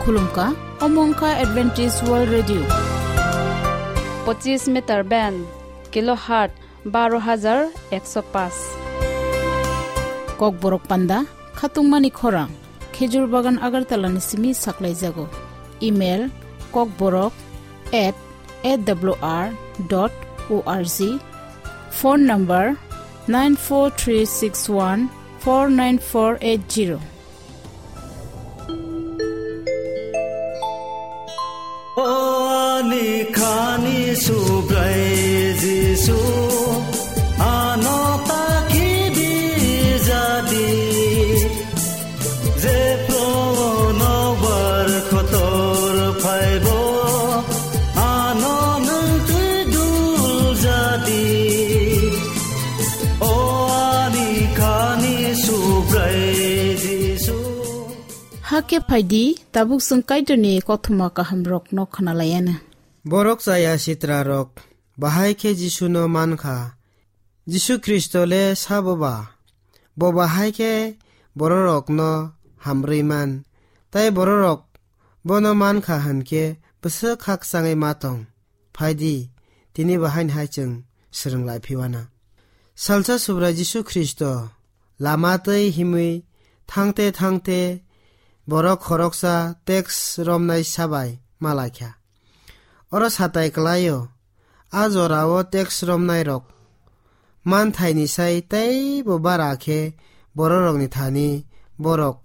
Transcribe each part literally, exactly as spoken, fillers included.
Khulumkha, omo wngkha Adventist World Radio. Pochis meter band, kilohertz baro hajar ekso paanch. Kokborok panda, khatungmani khorang, Khejur Bagan Agartala ni simi saklaijago. Email, kokborok at A W R dot O R G. Phone number, nine four three six one four nine four eight zero. O ani khani Subrai Jisu, ano ta khibi jadi. Jephru nokbar kotor phaibo, ano nwng twi dul jadi. O ani khani Subrai Jisu. Hakhe phaidi, tabuk chwng Kaitorni kothoma kahamrokno khwnalayana. Borok chaya sitrarok bahai khe Jisuno mankha. Jisu Khristo le sabo ba? Bo bahai khe bororokno hamrwi man, tai bororok bono mankha hwn khe bwswk khakchangwi ma tong? Phaidi, tini bahaini hai chwng swrwng lai phiwana. Salsa Subrai Jisu Khristo lama twi himwi thangte thangte borok khoroksa teks romnai sabai ma laikha. Oro satai kwlaio, a jorao teks romnairok manthaini sai teibo bara khe bororokni thani borok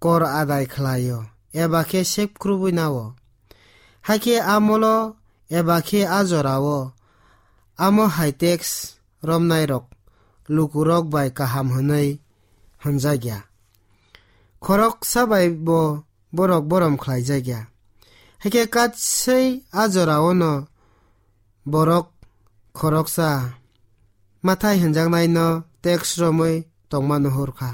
kor adai khlaio, eba khe sep khrubwi nao. Hakhe amolo eba khe a jorao amo hai teks romnairok lukurok bai kaham hwnwi hwnjakya. Khoroksa bai bo borok borom khlaijakya. Hakhe katswi a jorao no borok khoroksa mathai hwnjaknaino teks romwi tongma nuhur kha.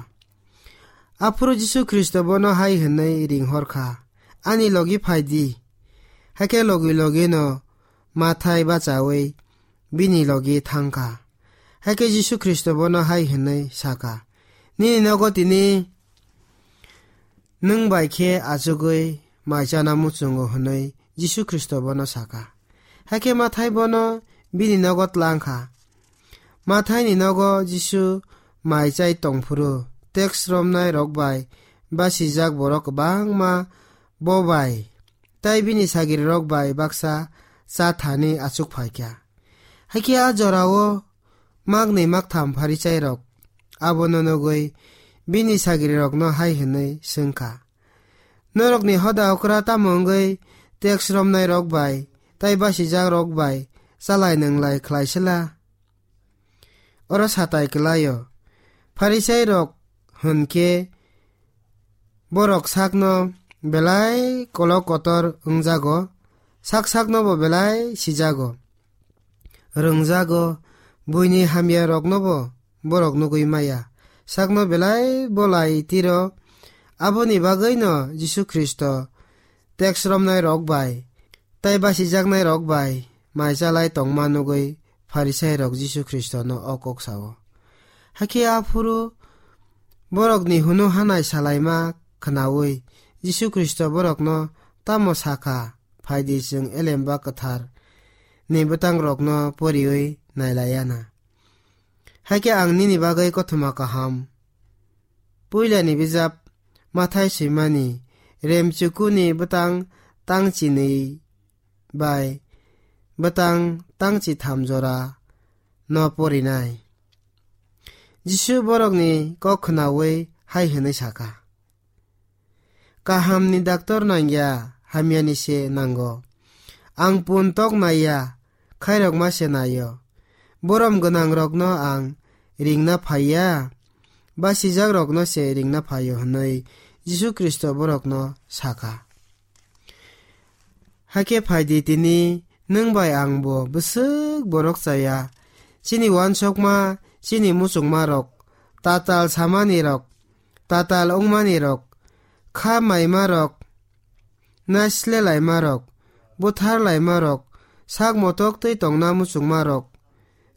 Aphuru Jisu Khristo bono hai hwnwi ring hor kha, "Ani logi phai di." Hakhe logi logi no Mathai bachaui bini logi thang kha. Hakhe Jisu Khristo bono hai hwnwi sa kha, "Nini nogo tini nwng bai khe achugwi mai chana muchungo," hwnwi Jisu Khristo bono sa kha. Hakhe Mathai bono bini nogo tlang kha. Mathaini nogo Jisu mai chai tong phuru, teks romnai rok bai basijak borok kwbangma bo bai tai bini sagiri rok bai baksa cha thani achuk phai kha. Hakhe a jorao maknwi maktham Pharisairok abono nugwi bini sagirirokno hai hwnwi swng kha, "Norokni hoda okra tamo wngwi teks romnairok bai tai basijakrok bai chalai nwnglai khlai sela?" Oro satai kwlaio. Pharisairok hwn khe borok sakno belai kolok kotor wngjago, sak sakno bo belai sijago, rwngjago, buini hamya rokno bo borok nugwi maya, sakno belai bolai tiro. Aboni bagwino Jisu Khristo teks romnai rok bai tai basijaknai rok bai mai chalai tongma nugwi Pharisairok Jisu Khristono o kok sao. Hakhe aphuru borokni hunu hanai salaima khwnaui Jisu Khristo borokno tamo sakha, "Phaidi, chwng elemba kwthar ni bwtang rokno poriui nailaiana." Hakhe ang nini bagwi kothoma kaham puilani bijap Mathai swimani remchukuni bwtang tangchinwi bai bwtang tangchitham jora no porinai. Jisu borokni kok khwnaui hai hwnwi sakha, "Kahamni daktor nangya, hamyani se nango. Ang pun tok naiya, khairokma se naio. Borom gwnangrokno ang ringna phaiya, basijakrokno se ringna phaio," hwnwi Jisu Khristo borokno sakha. Hakhe phaidi tini nwng bai ang bo bwswk borok chaya. Chini uansukma, chini muchungmarok, tatal samanirok, tatal wngmanirok, kha maimarok, naisle laimarok, buthar laimarok, sak motok twi tongna muchungmarok,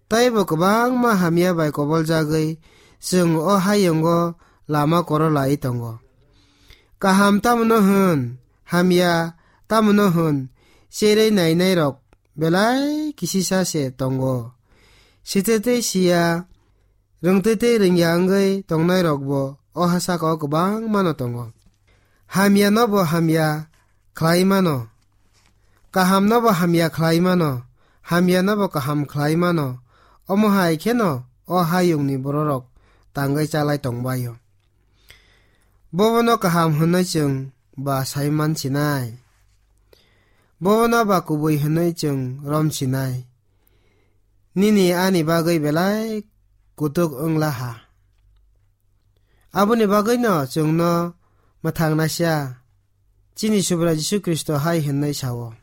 taibo kwbangma hamya bai koboljagwi chwng o hayungo lama koro lai tongo. Kaham tamno hwn, hamya tamno hwn, cherwi nainairok belai kisisa se tongo. Sitete siya, rwngtete rwngya wngwi tongnairokbo o ha saka o kwbangmano tongo. Hamyanobo hamya khlai mano, kahamnobo hamya khlai mano, hamyanobo kaham khlai mano, omo hai kheno o hayungni bororok tangwi chalai tongbaio. Bobono kaham hwnwi chwng ba sai mansinai, bobono ba kubui hwnwi chwng romsinai. Nini ani bagwi belai kutuk wngla ha. Aboni bagwino chwngno mwthangnaisa chini Subrai Jisu Khristo hai hwnwi sao,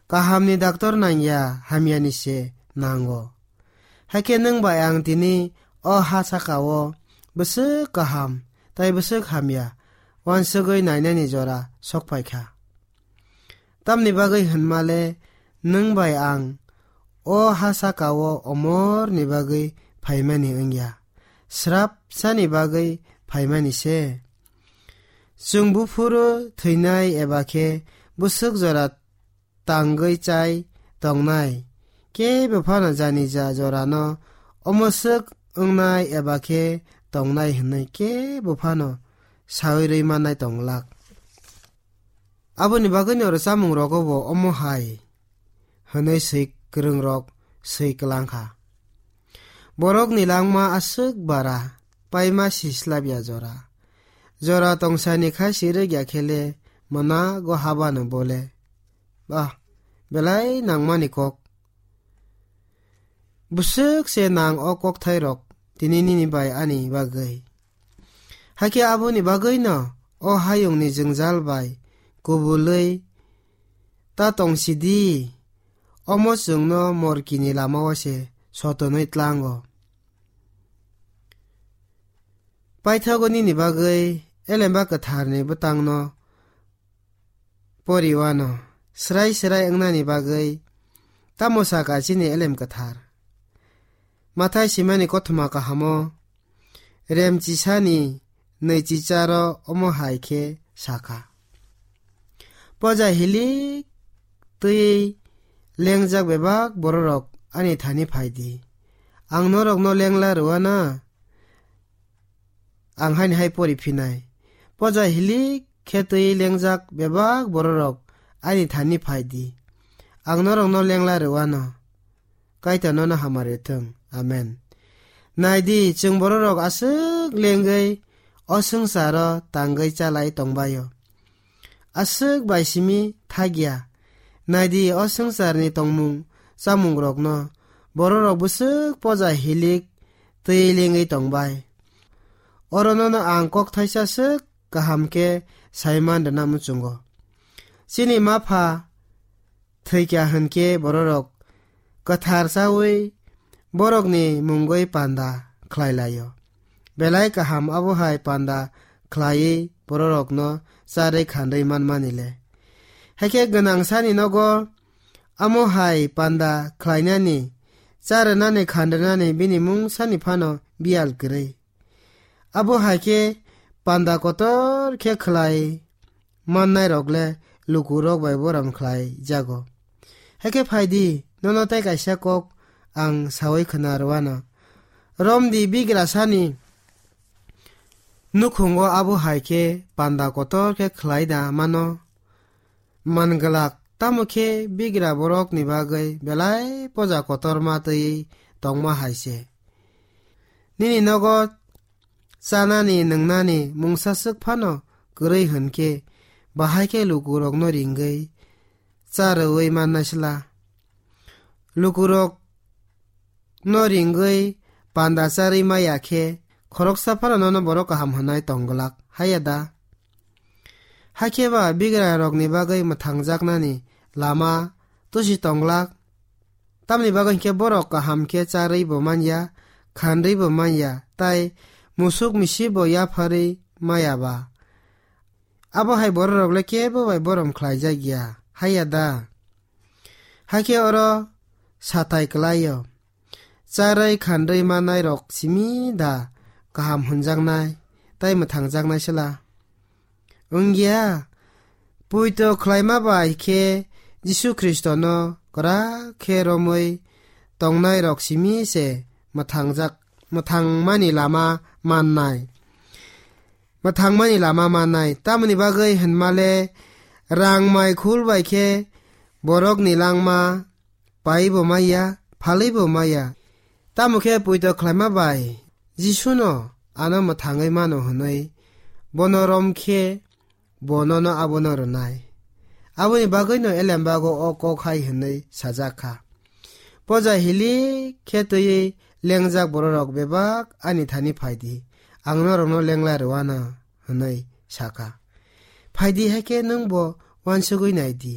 "Kahamni daktor nangya, hamyani se nango." Hakhe nwng bai ang tini o ha saka-o bwswk kaham tei bwswk hamya uansugwi nainani jora sok phai kha. Tamni bagwi hwnmale nwng bai ang o ha saka-o omorni bagwi phaimani wngya, srapsani bagwi phaimani se. Chwng buphuru thwinai eba khe bwswk jora tangwi chai tongnai, kebo phano janija jorano omoswk wngnai eba khe tongnai hwnwi kebo phano saui rwi mannai tong glak. Aboni bagwino oro chamungrogo bo omo hai hwnwi swi kwrwngrok swi kwlang kha. Borokni langma aswk bara, paima si slabya jora. Jora tongsani kha si rwgya khe le mwnago habano bo le. Bah, belai nangmani kok. Bwswk se nang o kokthairok tini nini bai ani bagwi. Hakhe aboni bagwino o hayungni jwngjal bai kubulwi ta tongsidi, omo chwngno morkini lamao se sotonwi tlango. Paithago nini bagwi Elemba Kwtharni bwtangno poriwano, srai srai wngnani bagwi tamo saka chini Elem Kwthar? Mathai simani kothoma kahamo remchisani nwichicharo omo hai khe sakha, "Poja hilik twi lengjak bebak bororok ani thani phai di. Ang norokno lengla rwwana?" Ang haini hai pori phinai, "Poja hilik khe twi lengjak bebak bororok ani thani phai di. Ang norokno lengla rwano." Kaitor nono hamari thung. Amen. Nai di, chwng bororok aswk lengwi o swngcharo tangwi chalai tongbaio. Aswk bai simi thakya. Nai di, o swngcharni tongmung chamungrokno bororok bwswk poja hilik twi lengwi tongbai. Oro nono ang kok thaisa swk kaham khe sai man rwna muchungo. Chini ma pha thwikya hwnkhe bororok kwthar chaui borokni mungwi panda khlai laio. Belai kaham abo hai panda khlaiwi bororokno charwi khandwi manmani le. Hakhe gwnang sani nogo amo hai panda khlainani, charwnani, khandrwnani bini mung sani phano biyal kwrwi. Abo hai khe panda kotor khe khlai mannairok le lukurok bai borom khlai jago. Hakhe phai di, nono tei kaisa kok ang saui khna rwano. Romdi bigrasani nukhungo abo hai khe panda kotor khe khlai da mano. Man glak, tamo khe bigra borokni bagwi belai poja kotorma twi tongma hai se. Nini nogo chanani, nwngnani mungsa swk phano kwrwi hwn khe, bahai khe lukurokno ringwi cha rwui mannai sla. Lukurokno ringwi panda charwi maya khe, khoroksa phano nono borok kaham hwnwi tong glak, haiya da? Hakhe ba bigrarokni bagwi mwthangjaknani lama tusi tong glak. Tamni bagwi hinkhe borok kaham khe charwi bo man ya, khanrwi bo man ya, tai musuk misi bo yapharwi maya ba. Abo hai bororok le kebo bai borom khlaijak ya, haiya da? Hakhe oro satai kwlai-o. Charwi khanrwi mannairok simi da kaham hwnjaknai tei mwthangjaknai sla? wngya? Poito khlaima bai khe Jisu Khristono kwrak khe romwi tongnairok simi se mwthangjak, mwthangmani lama mannai. Mwthangmani lama mannai. Tamoni bagwi hwnmale rang mai khul bai khe borokni langma paibo maya, phalwibo maya. Tamo khe poito khlaima bai Jisuno ano mwthangwi mano hwnwi bono rom khe bo nono abono rwnai. Aboni bagwino elembago o kok hai hwnwi sajak kha: Poja hilik khe twiwi lengjak bororok bebak ani thani phai di, ang norokno lengla rwano, hwnwi sa kha. Phai di hai khe nwng bo uansugwi nai di.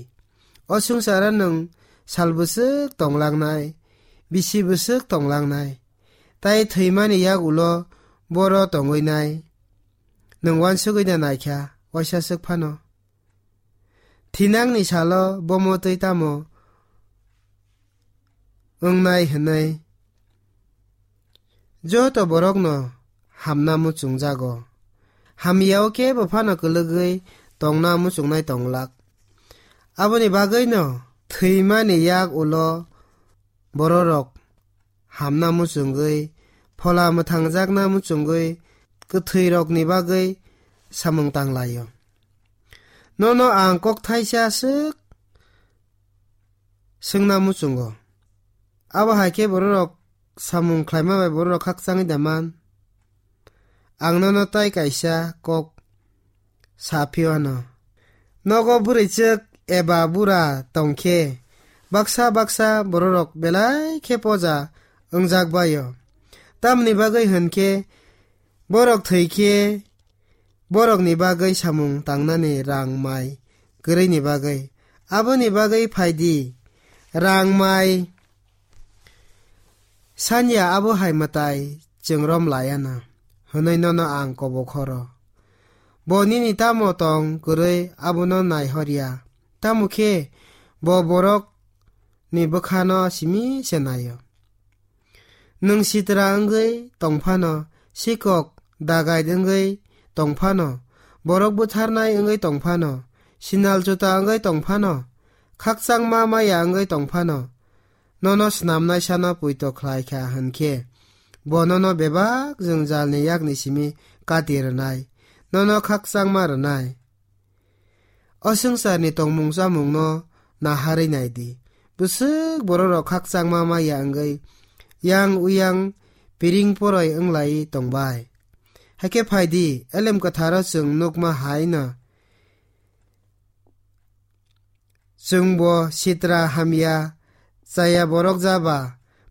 O swngcharo nwng sal bwswk tonglangnai, bisi bwswk tonglangnai, tai thwimani yak ulo boro tongwi nai. Nwng uansugwi da naikha waisa swk phano. Thinangni salo bomo twi tamo wngnai hwnwi joto borokno hamna muchungjago. Hamyao kebo phano kwlwgwi tongna muchungnai tonglak. Aboni bagwino thwimani yak ulo bororok hamna muchungwi, Phola mwthangjakna muchungwi, kwthwirokni bagwi samung tanglaio. Nono ang kok thaisa swk swngna muchungo. Abo hai khe bororok samung khlaima bai bororok khakchangwi da man? Ang nono tai kaisa kok sa phiyano. Nogo bwrwichwk eba bura tong khe, baksa baksa bororok belai khe poja wngjak bai-o. Tamoni bagwi hwn khe, borok thwi khe, borokni bagwi samung tangnani rang mai kwrwini bagwi. Aboni bagwi phai di, rang mai sanya abo hai mwtai chwng rom laiya na, hwnwi nono ang kobok horo. Bo nini tamo tong kwrwi abono nai horya, tamo khe bo borokni bwkhano simi se nai-o. Nwng sitra wngwi tong phano, sikok dagait wngwi tong phano, borok butharnai wngwi tong phano, sinal juta wngwi tong phano, khakchangma maya wngwi tong phano, nono snamnai sano poito khlai kha hwn khe, bo nono bebak jwngjalni yakni simi kati rwnai, nono khakchangma rwnai. O swngcharni tongmung chamungno naharwi nai di. Bwswk bororok khakchangma maya wngwi yang uyang piring poroi wng lai tong bai. Hakhe phai di, elem kwtharo chwng nukma hai no. Chwngbo sitra hamya chaya borok ja ba,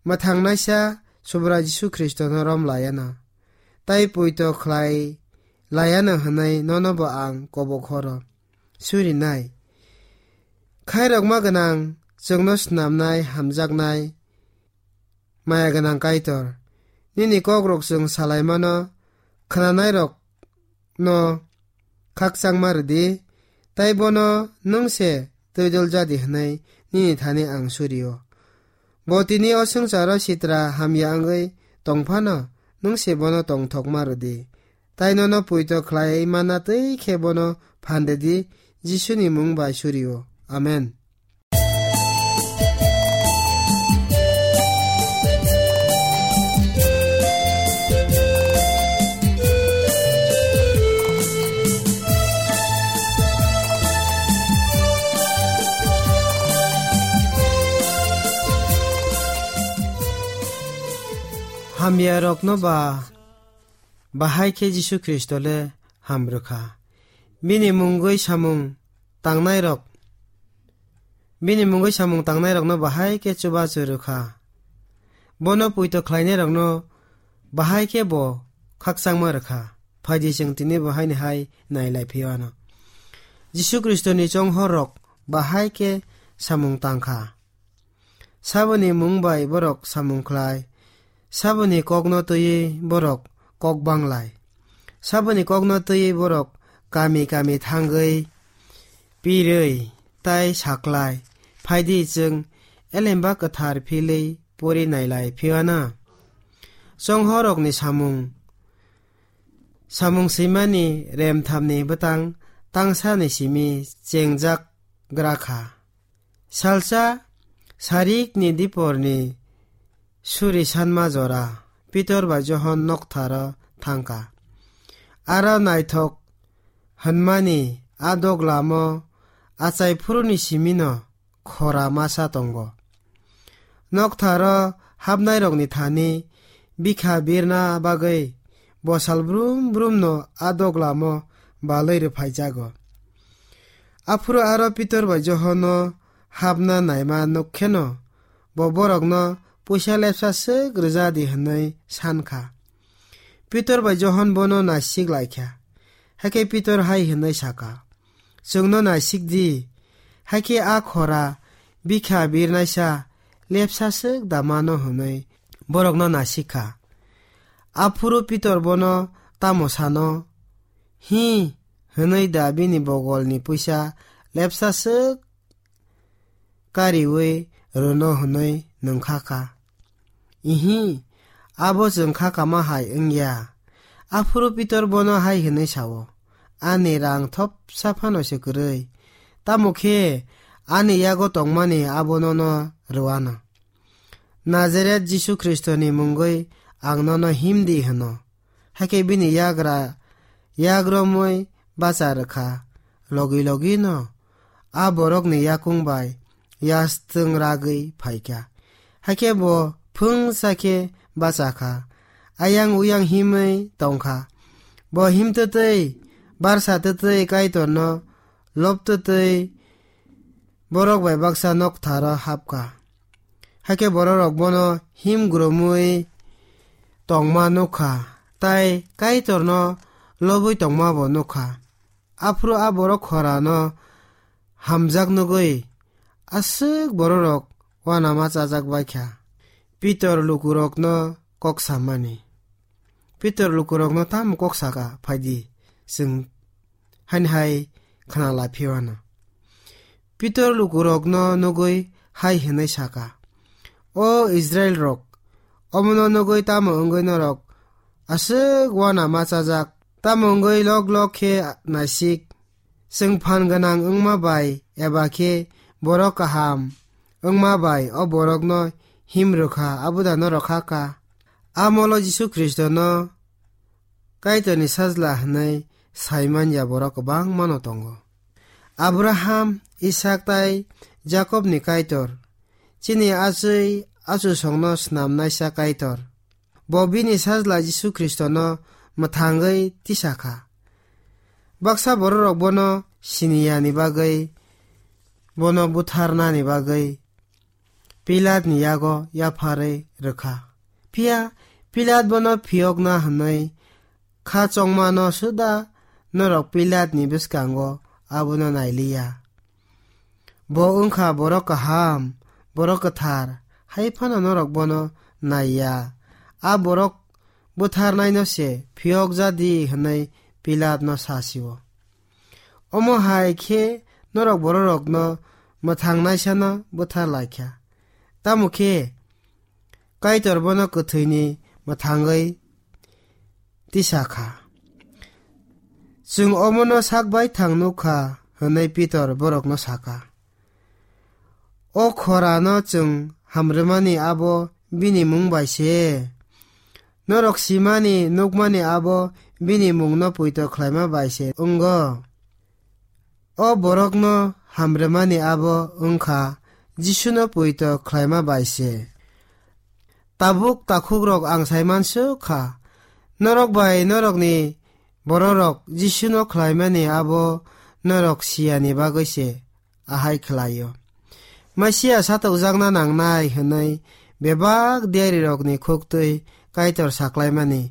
mwthangnaisa Subrai Jisu Khristono rom laiya na, tai poito khlai laiya na hwnwi nono bo ang kobok horo. Surinai. Khairokma gwnang, chwngno snamnai, hamjaknai, maya gwnang Kaitor, nini kokrok chwng salaimano khwnanairokno khakchangma rwdi, tai bono nwng se twidul jadi hwnwi nini thani ang surio. Bo tini o swngcharo sitra hamya wngwi tong phano, nwng se bono tongthokma rwdi. Tai nono poito khlai mana twi khe bono phan rwdi, Jisuni mung bai surio. Amen. Hamyarokno ba bahai khe Jisu Khristo le ham rwkha. Bini mungwi samung tangnairok, bini mungwi samung tangnairokno bahai khe chubachu rwkha. Bono poito khlainairokno bahai khe bo khakchangma rwkha. Phaidi chwng tini bo haini hai nailai phio ano. Jisu Khristoni chonghorrok bahai khe samung tangkha. Saboni mung bai borok samung khlai, saboni kokno twiwi borok kok banglai. Saboni kokno twiwi borok kami kami thangwi pirwi tai saklai. Phaidi chwng Elemba Kwthar philwi pori nailai phiyana. Chonghorokni samung, samung swimani remthamni bwtang tangsani simi chengjak gra kha. Salsa sarikni diporni suri sanma jora Pitor bai Johon noktharo thangkha. Aro naithok hwnmani a doglamo achai phuruni simino khora masa tongo. Noktharo hapnairokni thani bikha birna bagwi bosal brum brumno a doglamo balwi rwphaijago. Aphuru aro Pitor bai Johonno hapna naima nuk kheno, bo borokno puisa lepsa swk rwja di hwnwi san kha. Pitor bai Johon bono naisik lai kha. Hakhe Pitor hai hwnwi sa kha, "Chwngno naisik di." Hakhe a khora bikha birnaisa lepsa swk da mano hwnwi borokno naisik kha. Aphuru Pitor bono tamo sano, "Hi," hwnwi da bini bogolni puisa lepsa swk kariwi rwno hwnwi nwng kha kha. Ihi, abo chwng kha kama hai wngya. Aphuru Pitor bono hai hwnwi sao, "Ani rang thopsa phano se kwrwi. Tamo khe ani yago tongmani abono no rwano. Nazaret Jisu Khristoni mungwi ang nono him di," hwno. Hakhe bini yagra yagromwi bacha rwkha. Logi logi no a borokni yakung bai yastwng ragwi phaikha. Hakhe bo phwngsa khe bacha kha. Ayang uyang himwi tongkha. Bo himtwtwi, barsa twtwi Kaitorno lobtwtwi borok bai baksa noktharo hapkha. Hakhe bororok bono him gromwi tongma nukha, tai Kaitorno lobwi tongma bo nukha. Aphuru a borok khorano hamjak nugwi aswk bororok uanama chajak baikha. Pitor lukurokno kok samani. Pitor lukurokno tamo kok saka, "Phaidi, chwng haini hai khna lai phiwano." Pitor lukurokno nugwi hai hwnwi saka, "O Israilrok, omono nugwi tamo wngwi norok aswk uanama chajak? Tamo wngwi lok lok khe naisik? Chwng phan gwnang wngma bai eba khe borok kaham wngma bai o borokno him rwkha, abo da norok kha ka? A molo Jisu Khristono Kaitorni Sajla hwnwi sai man ya borok kwbangma no tongo. Abraham, Isak tai Jakobni Kaitor, chini achwi achusongno snamnaisa Kaitor. Bo bini Sajla Jisu Khristono mwthangwi tisa kha. Baksa bororok bono siniyani bagwi, bono butharnani bagwi Pilatni yago yapharwi rwkha. Phiya Pilat bono phiyokna hwnwi kha chongmano suda norok Pilatni bwskango abono nailiya. Bo wngkha borok kaham, borok kwthar, hai phano norok bono naiya. A borok butharnaino se phiyokja di hwnwi Pilatno sa sio. Omo hai khe norok bororokno mwthangnaisano buthar lai kha. Tamo khe Kaitor bono kwthwini mwthangwi tisa kha. Chwng omono sak baithang nuk kha, hwnwi Pitor borokno sa kha. O khorano chwng hamrwmani abo bini mung bai se. Norok simani, nukmani abo bini mungno poito khlaima bai se wngo. O borokno hamrwmani abo wngkha Jisuno poito khlaima bai se. Tabuk takhukrok ang saimansuk kha, norok bai norokni bororok Jisuno khlaimani abo norok siyani bagwi se ahai khlaio. Masia satokjakna nangnai hwnwi bebak diarirokni khuktwi Kaitor saklaimani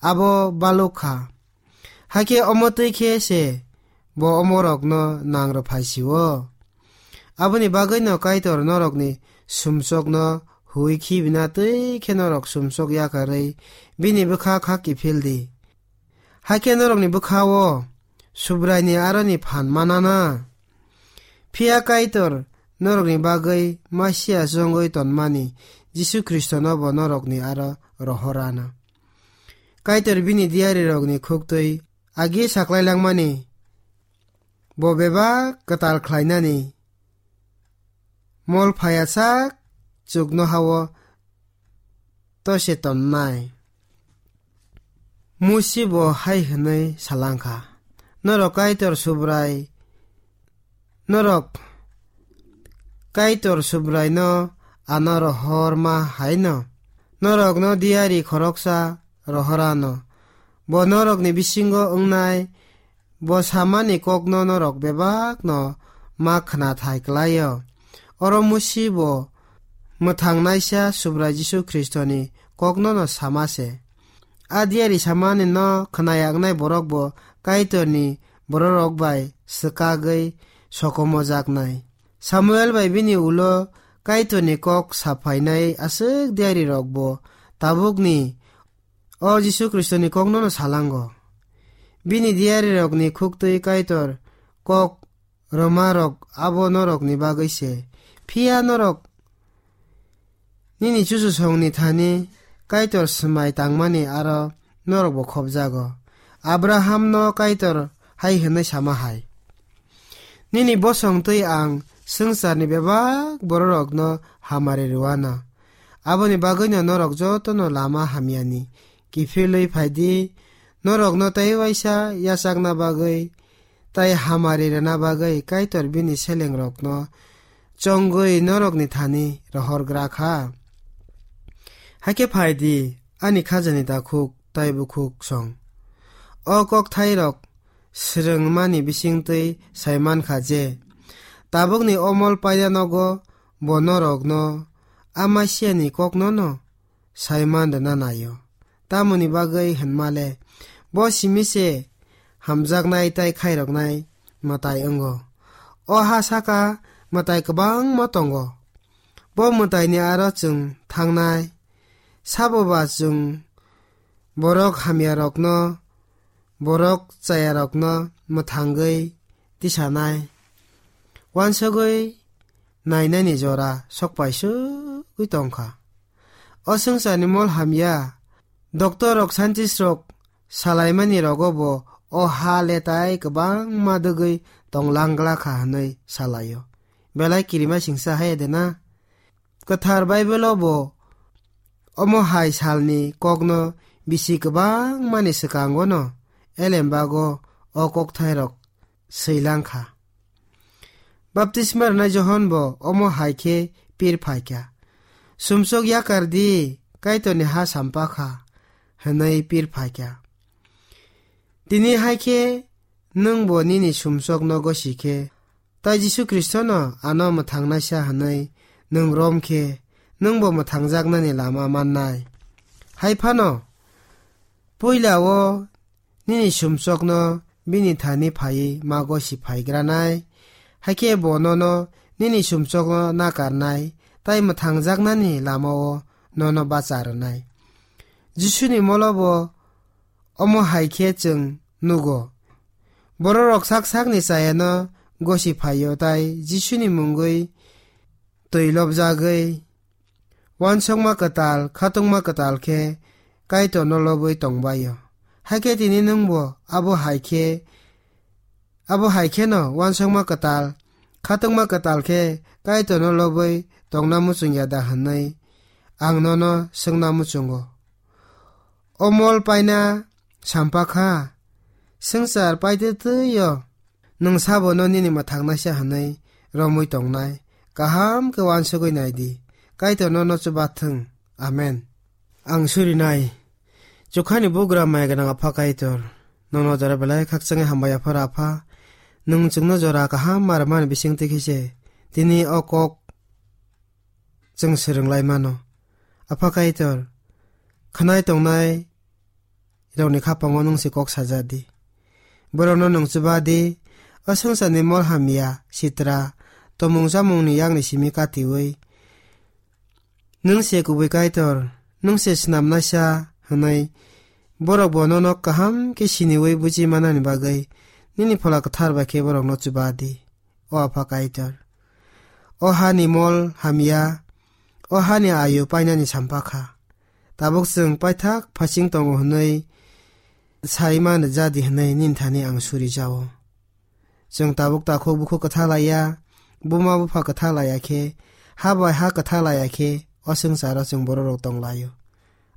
abo baluk kha. Hakhe omo twi khe se bo omorokno nang rw phai sio. Aboni bagwino Kaitor norokni sumsokno hui khibina twi khe norok sumsok yakarwi bini bwkha kha kiphil di. Hakhe norokni bwkha-o Subraini aroni phan manana. Phiya Kaitor norokni bagwi Masia chongwi tonmani Jisu Khristono bo norokni aro rohorana. Kaitor bini diarirokni khuktwi agi saklai langmani bo bebak kwtal khlainani mol phaiya sak chuknoha-o tose tonnai. Musi bo hai hwnwi sa lang kha, "Norok Kaitor Subrai, norok Kaitor Subraino ano rohorma hai'-no norokno diyari khoroksa rohor anw. Bo norokni bisingo wngnai, bo samani kokno norok bebakno ma khna thai klai-o." Oro Musi bo mwthangnaisa Subrai Jisu Khristoni koknono sama se. A diyari samani no khna yaknai borok bo Kaitorni bororok bai swkagwi sokomojaknai. Samuel bai bini ulo Kaitorni kok saphainai aswk diyari rok bo tabukni o Jisu Khristoni koknono salango. Bini diyari rokni khuktwi Kaitor kok rwma rok abo norokni bagwi se. Phiya norok nini chuchusongni thani Kaitor swmai tangmani aro norokbo khopjago. Abrahamno Kaitor hai hwnwi sama hai, "Nini bosong twi ang swngcharni bebak bororokno hamari rwano. Aboni bagwino norok jotono lama hamyani kiphilwi phai di, norokno tei waisa yachakna bagwi tei hamari rwna bagwi Kaitor bini selengrokno chongwi norokni thani rohorgra kha. Hakhe phai di, ani khajani takhuk tei bukhuk song." O kokthairok swrwngmani bisingtwi sai man kha je tabukni o mol paina nogo bo norokno Amasiani koknono sai man rwna nai-o. Tamoni bagwi hwnma le, bo simi se hamjaknai tei khairoknai mwtai wngo. O ha saka mwtai kwbangma tongo. Bo mwtaini aro chwng thangnai. Sabo ba chwng borok hamyarokno, borok chayarokno mwthangwi tisanai, uansugwi nainani jora sokpaisugwi tongkha. O swngcharni mol hamya, doctor rok, scientist rok salaimani rogo bo o ha le tai kwbangma dwgwi tonglang glakha hwnwi salaio. Belai kirima singsa hai de na? Kwthar Baibolo bo omo hai salni kokno bisi kwbangmani swkangono elembago o kokthairok swilang kha. Baptisma rwnai Johon bo omo hai khe pir phai kha, "Sumsok yakar di, Kaitorni ha sampa kha," hwnwi pir phai kha. Tini hai khe nwng bo nini sumsokno gosi khe, tai Jisu Khristono ano mwthangnaisa hwnwi nwng rom khe, nwng bo mwthangjaknani lama mannai. Hai phano, puila-o nini sumsokno bini thani phaiwi ma gosi phaigranai, hai khe bo nono nini sumsokno nakarnai, tai mwthangjaknani lama-o nono bacha rwnai. Jisuni molo bo omo hai khe chwng nugo. Bororok sak sakni chayano gosi phaio, tai Jisuni mungwi twi lobjagwi uansukma kwtal, khatungma kwtal khe Kaitorno lobwi tongbaio. Hakhe tini nwngbo abo hai khe, abo hai kheno uansukma kwtal, khatungma kwtal khe Kaitorno lobwi tongna muchung ya da hwnwi ang nono swngna muchungo. O mol paina sampa kha, swngchar paitwi twi-o nwng sabono nini mwthangnaisa hwnwi romwi tongnai. Kaham khe uansugwi nai di. Kaitor nono chuba thung. Amen. Ang surinai. Chukhani bugra mai gwnang Apha Kaitor, nono jora belai khakchangwi hambai Apha Rapha. Nwng chwngno jora kaham ma rwmani bisingtwi khe se tini o kok chwng swrwng lai mano. Apha Kaitor, khwnai tongnai rokni khapango nwng se kok saja di. Borokno nwng chuba di, o swngcharni mol hamya, sitra, tomung chamungni yakni simi katiui. Nwng se kubui Kaitor, nwng se snamnaisa hwnwi borok bo nono kaham khe siniui buji manani bagwi nini Phola Kwthar bai khe borokno chuba di. O Apha Kaitor, o hani mol hamya, o hani ayu painani sampa kha. Tabuk chwng paithak phasing tongo hwnwi sai man rwja di hwnwi nini thani ang suri jao. Chwng tabuk takhuk bukhuk kwtha laiya, buma bupha kwtha laiya khe, ha bai ha kwtha laiya khe, o swngcharo chwng borok rok tong laio.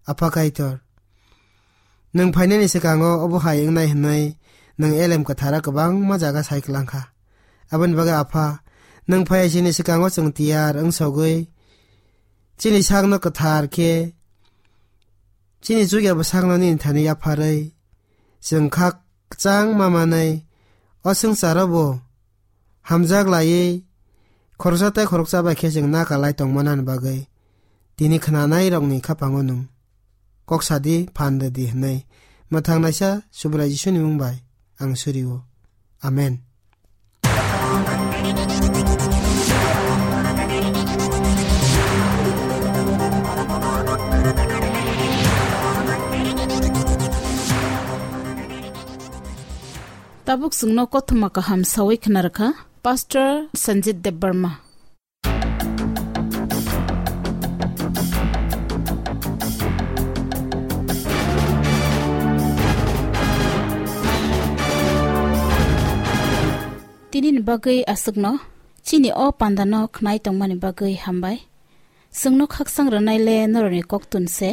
Apha Kaitor, nwng phainani swkango obo hai wngnai hwnwi nwng Elem Kwtharo kwbangma jaga sai kwlang kha. Aboni bagwi Apha, nwng phai sini swkango chwng tiyar wngsogwi, chini sakno kwthar khe, chini chukya bwsakno nini thani yapharwi, chwng kha kwchang ma manwi, o swngcharo bo hamjak laiwi, khoroksa tei khoroksa bai khe chwng nakalai tongmanani bagwi, tini khnanairokni khapango nwng kok sadi, phan rwdi hwnwi mwthangnaisa Subrai Jisuni mung bai ang surio. Amen. Tabuk chwngno kothoma kaham sawi khna rwkha Pastor Sanjit Debbarma. Tinini bagwi aswkno, chini o pandano khnai tongmani bagwi hambai. Chwngno khaksang rwnai le norokni koktun se,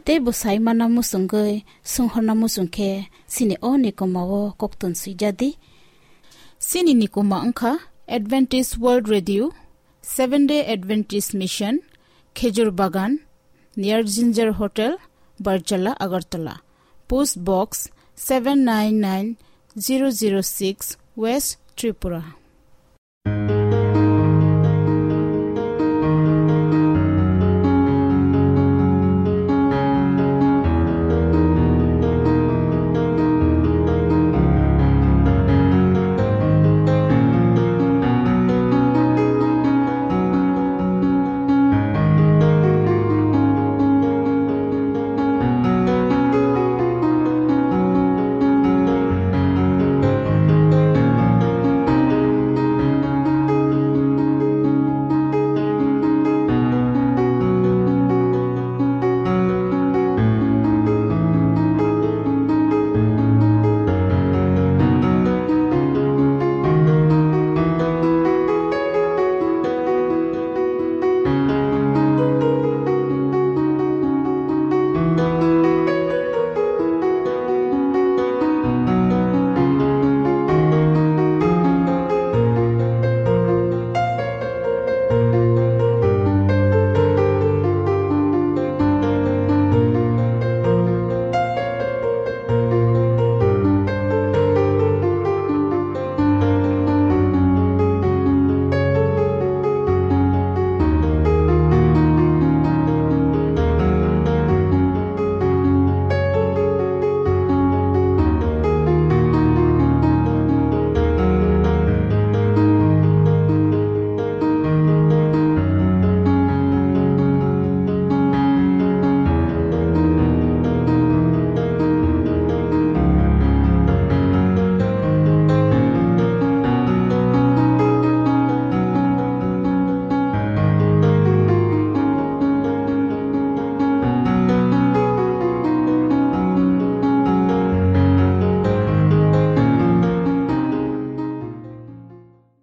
tei bwsai mana muchungwi swnghorna muchung khe chini o nikomao koktun swijadi. Chini nikoma wngkha Adventist World Radio, Seventh Day Adventist Mission, Khejur Bagan, near Ginger Hotel, Barjala, Agartala. Post Box seven nine nine zero zero six, West Tripura.